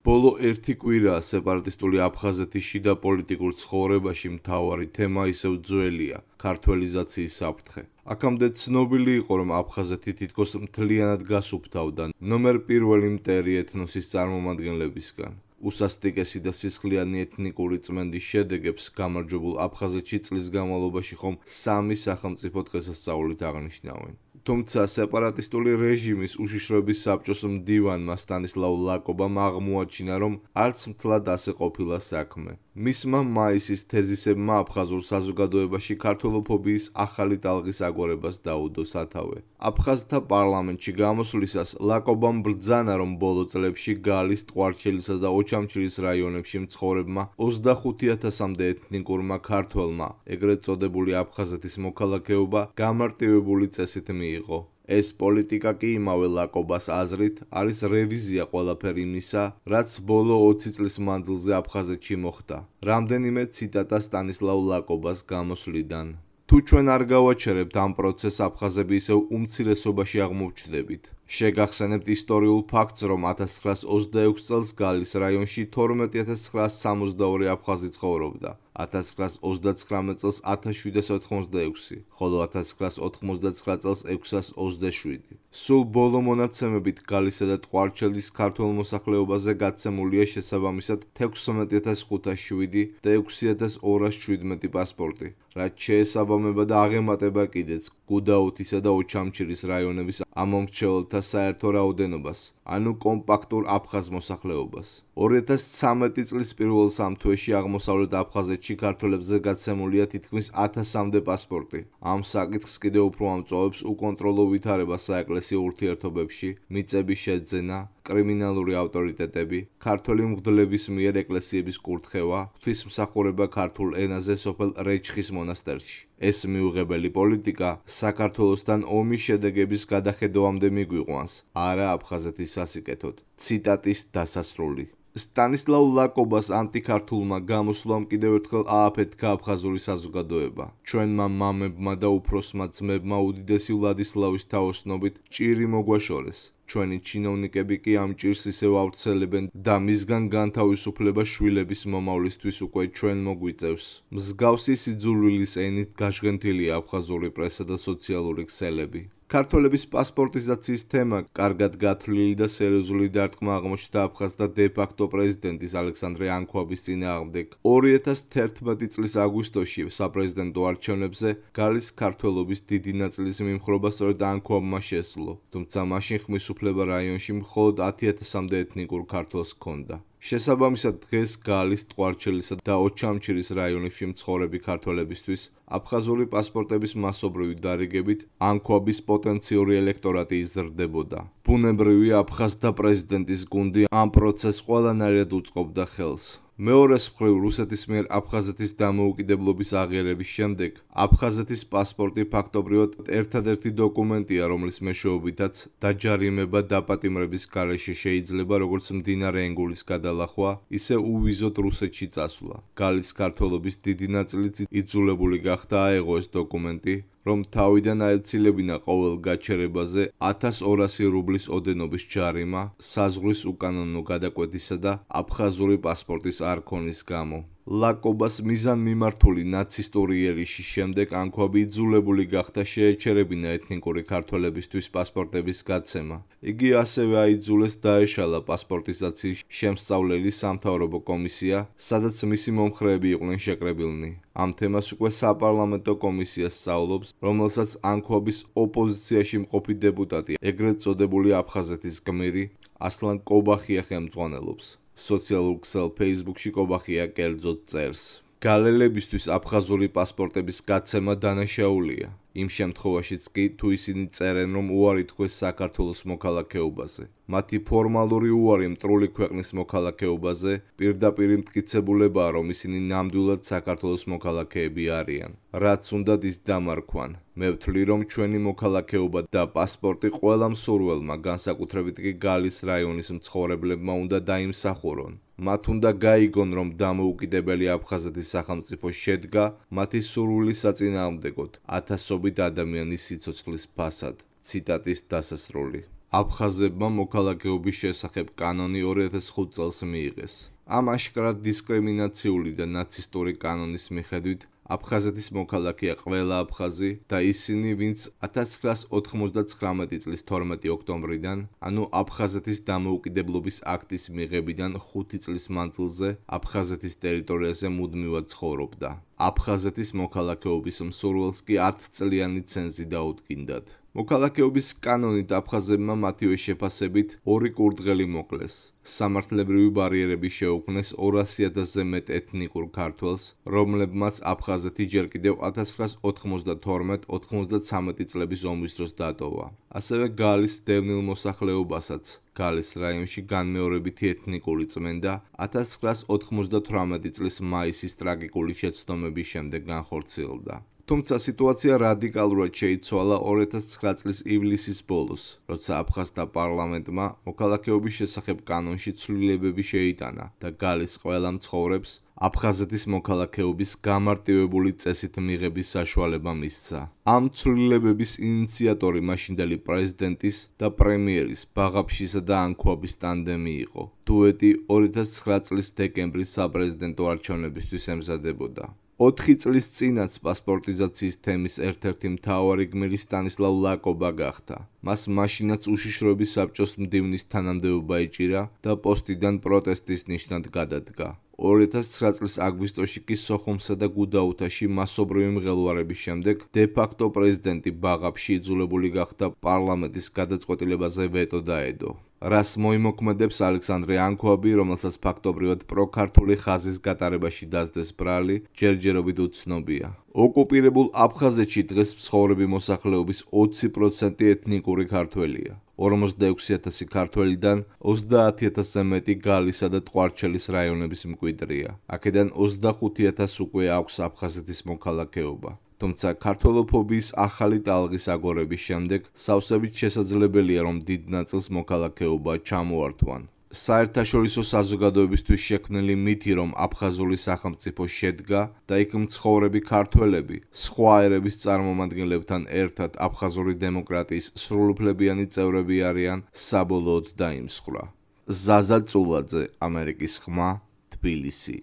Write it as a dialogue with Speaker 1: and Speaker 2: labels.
Speaker 1: ბოლო ერთი კვირაა სეპარატისტული აფხაზეთის შიდა პოლიტიკურ ცხოვრებაში მთავარი თემა ისევ ძველია ქართველიზაციის საფრთხე. აქამდე ცნობილი იყო, რომ აფხაზეთი თითქოს მთლიანად გასუფთავდა ნომერ პირველი მტერი ეთნოსის წარმომადგენლებისგან. უსასტიკესი და სისხლიანი ეთნიკური წმენდის შედეგებს გამარჯვებულ აფხაზეთში წლის განმავლობაში ხომ 3 სახელმწიფო დღესასწაულით აღნიშნავენ. თუმცა სეპარატისტული რეჟიმის უშიშროების საბჭოს მდივანმა სტანისლავ ლაკობამ აღმოაჩინა, რომ არც მთლად ასე ყოფილა საქმე. მისმა მაისის თეზისებმა აფხაზურ საზოგადოებაში ქართველოფობიის ახალი ტალღის აგორებას დაუდო სათავე. აფხაზთა პარლამენტში გამოსვლისას ლაკობამ ბრძანა, რომ ბოლო წლებში გალის, ტყვარჩელისა და ოჩამჩირის რაიონებში მცხოვრებმა 25,000-მდე ეთნიკურმა ქართველმა, ეგრეთ წოდებული აფხაზეთის მოქალაქეობა გამარტივებული წესით მიიღო. ეს პოლიტიკა კი იმავე ლაკობას აზრით არის რევიზია ყველაფერ იმისა, რაც ბოლო 20 წლის მანძილზე აფხაზეთში მოხდა. რამდენიმე ციტატა სტანისლავ ლაკობას გამოსვლიდან. თუ ჩვენ არ გავაჩერებთ ამ პროცესს, აფხაზები ისევ უმცირესობაში აღმოჩნდებით. შეგახსენებთ ისტორიულ ფაქტს, რომ 1926 წელს გალის რაიონში 12,962 აფხაზი ცხოვრობდა, 1929 წელს 1786, ხოლო 1999 წელს 627. სულ ბოლო მონაცემებით გალისა და ტყვარჩელის ქართველ მოსახლეობაზე გაცემულია შესაბამისად 16,507 და 6,217 პასპორტი, რაც შეესაბამება და აღემატება კიდეც გუდაუთისა და ოჩამჩირის რაიონების ამომრჩეველთა საერთო რაოდენობას, ანუ კომპაქტურ აფხაზ მოსახლეობას. 2013 წლის პირველ 3 თვეში აღმოსავლეთ აფხაზეთში ქართველებზე გაცემულია თითქმის 1000-მდე პასპორტი. ამ საკითხს კიდევ უფრო ამწვავებს უკონტროლო ვითარება საეკლესიო ურთიერთობებში, მიწების შეძენა, კრიმინალური ავტორიტეტები, ქართველი მღვდლების მიერ ეკლესიების კურთხევა, ღვთისმსახურება ქართულ ენაზე სოფელ რეჩხის მონასტერში. ეს მიუღებელი პოლიტიკა საქართველოსთან ომის შედეგების გადახედოვამდე მიგვიყვანს, არა აფხაზეთის სასიკეთოდ. ციტატის დასასრული. სტანისლავ ლაკობას ანტიქართულმა გამოსვლამ კიდევ ერთხელ ააფეთქა აფხაზური საზოგადოება. ჩვენმა მამებმა და უფროსმა ძმებმა უდიდესი ვლადისლავის თაოსნობით ჭირი მოგვაშორეს. ჩვენი ჩინოვნიკები კი ამ ჭირს ისევ ავრცელებენ და მისგან განთავისუფლება შვილების მომავლისთვის უკვე ჩვენ მოგვიწევს. მსგავსი სიძულვილის ენით გაჟღენთილია აფხაზური პრესა და სოციალური ქსელები. ქართველების პასპორტიზაციის თემა კარგად გათვლილი და სერიოზული დარტყმა აღმოჩნდა აფხაზთა დე-ფაქტო პრეზიდენტის ალექსანდრე ანქვაბის წინააღმდეგ. 2011 წლის აგვისტოში საპრეზიდენტო არჩევნებზე გალის ქართველობის დიდი ნაწილის მიმხრობა სწორედ ანქვაბმა შესძლო, თუმცა მაშინ ხმისუფლება რაიონში მხოლოდ 10,000-მდე ეთნიკურ ქართველს ჰქონდა. შესაბამისად დღეს გალის, ტყვარჩელისა და ოჩამჩირის რაიონებში მცხოვრები ქართველებისთვის აფხაზური პასპორტების მასობრივი დარიგებით ანქვაბის პოტენციური ელექტორატი იზრდებოდა. ბუნებრივია აფხაზთა პრეზიდენტის გუნდი ამ პროცესს ყველანაირად უწყობდა ხელს. მეორეს მხრივ რუსეთის მიერ აფხაზეთის დამოუკიდებლობის აღიარების შემდეგ აფხაზეთის პასპორტი ფაქტობრივად ერთადერთი დოკუმენტია, რომლის მეშვეობითაც დაჯარიმება დაპატიმრების გარეშე შეიძლება როგორც მდინარე ენგულის გადალახვა, ისე უვიზოდ რუსეთში წასვლა. გალის ქართველობის დიდი ნაწილიც იძულებული გახდა აეღო ეს დოკუმენტი, რომ თავიდან აეცილებინა ყოველ გაჩერებაზე 1200 რუბლის ოდენობის ჯარიმა საზღვრის უკანონო გადაკვეთისა და აფხაზური პასპორტის არ ქონის გამო. ლაკობას მიზანმიმართული ნაცისტური იერიშის შემდეგ ანქვაბი იძულებული გახდა შეეჩერებინა ეთნიკური ქართველებისთვის პასპორტების გაცემა. იგი ასევე აიძულეს დაეშალა პასპორტიზაციის შემსწავლელი სამთავრობო კომისია, სადაც მისი მომხრეები იყვნენ შეკრებილნი. ამ თემას უკვე საპარლამენტო კომისია სწავლობს, რომელსაც ანქვაბის ოპოზიციაში მყოფი დეპუტატი, ეგრეთ წოდებული აფხაზეთის გმირი ასლან კობახია ხელმძღვანელობს. სოციალურ ქსელ Facebook-ში კობახია კერძოდ წერს. გალელებისთვის აფხაზური პასპორტების გაცემა დანაშაულია. იმ შემთხვევაშიც კი, თუ ისინი წერენ, რომ უარი თქვეს საქართველოს მოქალაქეობაზე. მათი ფორმალური უარი მტრული ქვეყნის მოქალაქეობაზე პირდაპირ მტკიცებულებაა, რომ ისინი ნამდვილად საქართველოს მოქალაქეები არიან. რაც უნდათ ის დამარქვან. მე ვთვლი, რომ ჩვენი მოქალაქეობა და პასპორტი ყველა მსურველმა, განსაკუთრებით კი გალის რაიონის მცხოვრებლებმა უნდა დაიმსახურონ. მათ უნდა გაიგონ, რომ დამოუკიდებელი აფხაზეთის სახელმწიფო შედგა მათი სურვილის საწინააღმდეგოდ, ათასობით ადამიანის სიცოცხლის ფასად. ციტატის დასასრული. აფხაზებმა მოქალაქეობის შესახებ კანონი 2005 წელს მიიღეს. ამ აშკარად დისკრიმინაციული და ნაცისტური კანონის მიხედვით აფხაზეთის მოქალაქეა ყველა აფხაზი და ისინი, ვინც 1999 წლის 12 ოქტომბრიდან, ანუ აფხაზეთის დამოუკიდებლობის აქტის მიღებიდან 5 წლის მანძილზე აფხაზეთის ტერიტორიაზე მუდმივად ცხოვრობდა. აფხაზეთის მოქალაქეობის მსურველს კი 10 წლიანი ცენზი დაუდგინდათ. მოქალაქეობის კანონით აფხაზებმა მათივე შეფასებით 2 კურდღელი მოკლეს. სამართლებრივი ბარიერები შეუქმნეს 200,000-ზე მეტ ეთნიკურ ქართველს, რომლებმაც აფხაზეთი ჯერ კიდევ 1992-93 წლების ომის დროს დატოვა. ასევე გალის დევნილ მოსახლეობასაც გალის რაიონში განმეორებითი ეთნიკური წმენდა 1998 წლის მაისის ტრაგიკული შეცდომების შემდეგ განხორციელდა. თუმცა სიტუაცია რადიკალურად შეიცვალა 2009 წლის ივლისის ბოლოს, როცა აფხაზთა პარლამენტმა მოქალაქეობის შესახებ კანონში ცვლილებები შეიტანა და გალის ყველა მცხოვრებს აფხაზეთის მოქალაქეობის გამარტივებული წესით მიღების საშუალება მისცა. ამ ცვლილებების ინიციატორი მაშინდელი პრეზიდენტის და პრემიერის ბაღაფშისა და ანქვაბის ტანდემი იყო. დუეტი 2009 წლის დეკემბრის საპრეზიდენტო არჩევნებისთვის ემზადებოდა. 4 წლის წინაც პასპორტიზაციის თემის ერთ-ერთი მთავარი გმირი სტანისლავ ლაკობა გახდა. მას მაშინაც უშიშროების საბჭოს მდივნის თანამდებობა ეჭირა და პოსტიდან პროტესტის ნიშნად გადადგა. 2009 წლის აგვისტოში კი სოხუმსა და გუდაუთაში მასობრივი მღელვარების შემდეგ დე-ფაქტო პრეზიდენტი ბაღაფში იძულებული გახდა პარლამენტის გადაწყვეტილებაზე ვეტო დაედო. რას მოიმოქმედებს ალექსანდრე ანქვაბი, რომელსაც ფაქტობრივად პროქართული ხაზის გატარებაში დასდეს ბრალი, ჯერჯერობით უცნობია. ოკუპირებულ აფხაზეთში დღეს მცხოვრები მოსახლეობის 20% ეთნიკური ქართველია. 46,000 ქართველიდან 30,000-ზე მეტი გალისა და ტყვარჩელის რაიონების მკვიდრია. აქედან 25,000 უკვე აქვს აფხაზეთის მოქალაქეობა. თუმცა ქართველოფობიის ახალი ტალღის აგორების შემდეგ სავსებით შესაძლებელია, რომ დიდ ნაწილს მოქალაქეობა ჩამოართვან. საერთაშორისო საზოგადოებისთვის შექმნილი მითი, რომ აფხაზური სახელმწიფო შედგა და იქ მცხოვრები ქართველები სხვა ერების წარმომადგენლებთან ერთად აფხაზური დემოკრატიის სრულუფლებიანი წევრები არიან, საბოლოოდ დაიმსხვრა. ზაზა წულაძე, ამერიკის ხმა, თბილისი.